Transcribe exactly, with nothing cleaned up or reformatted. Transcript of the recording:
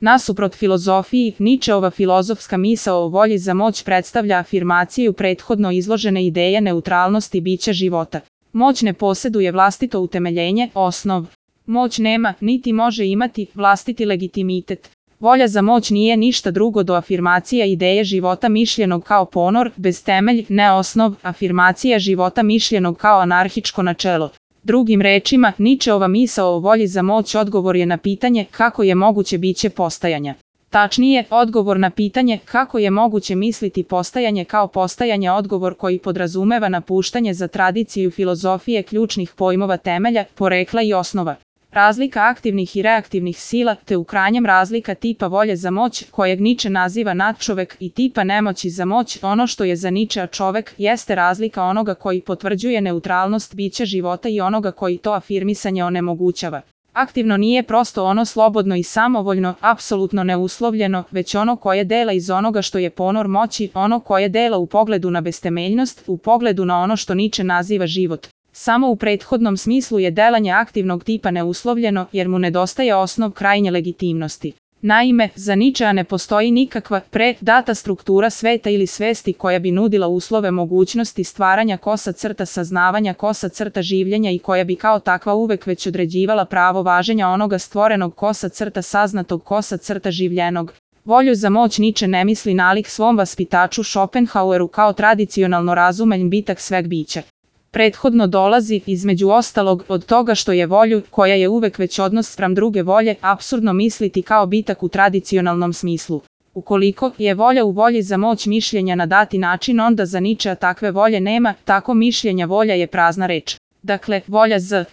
Nasuprot filozofiji, Ničeova filozofska misao o volji za moć predstavlja afirmaciju prethodno izložene ideje neutralnosti bića života. Moć ne posjeduje vlastito utemeljenje, osnov. Moć nema, niti može imati, vlastiti legitimitet. Volja za moć nije ništa drugo do afirmacija ideje života mišljenog kao ponor, bez temelj, ne osnov, afirmacija života mišljenog kao anarhičko načelo. Drugim rečima, Ničeova misao o volji za moć odgovor je na pitanje kako je moguće biće postajanja. Tačnije, odgovor na pitanje kako je moguće misliti postajanje kao postajanje odgovor koji podrazumeva napuštanje za tradiciju filozofije ključnih pojmova temelja, porekla i osnova. Razlika aktivnih i reaktivnih sila, te u krajnjem razlika tipa volje za moć, kojeg Niče naziva nadčovek, i tipa nemoći za moć, ono što je za Ničea čovek, jeste razlika onoga koji potvrđuje neutralnost bića života i onoga koji to afirmisanje onemogućava. Aktivno nije prosto ono slobodno i samovoljno, apsolutno neuslovljeno, već ono koje dela iz onoga što je ponor moći, ono koje dela u pogledu na bestemeljnost, u pogledu na ono što Niče naziva život. Samo u prethodnom smislu je delanje aktivnog tipa neuslovljeno, jer mu nedostaje osnov krajnje legitimnosti. Naime, za Ničea ne postoji nikakva pre-data struktura sveta ili svesti koja bi nudila uslove mogućnosti stvaranja kosa crta saznavanja kosa crta življenja i koja bi kao takva uvek već određivala pravo važenja onoga stvorenog kosa crta saznatog kosa crta življenog. Volju za moć Niče ne misli nalik svom vaspitaču Schopenhaueru kao tradicionalno razumen bitak sveg bića. Prethodno dolazi, između ostalog, od toga što je volju, koja je uvek već odnos spram druge volje, apsurdno misliti kao bitak u tradicionalnom smislu. Ukoliko je volja u volji za moć mišljenja na dati način, onda za Ničea takve volje nema, tako mišljenja volja je prazna reč. Dakle, volja z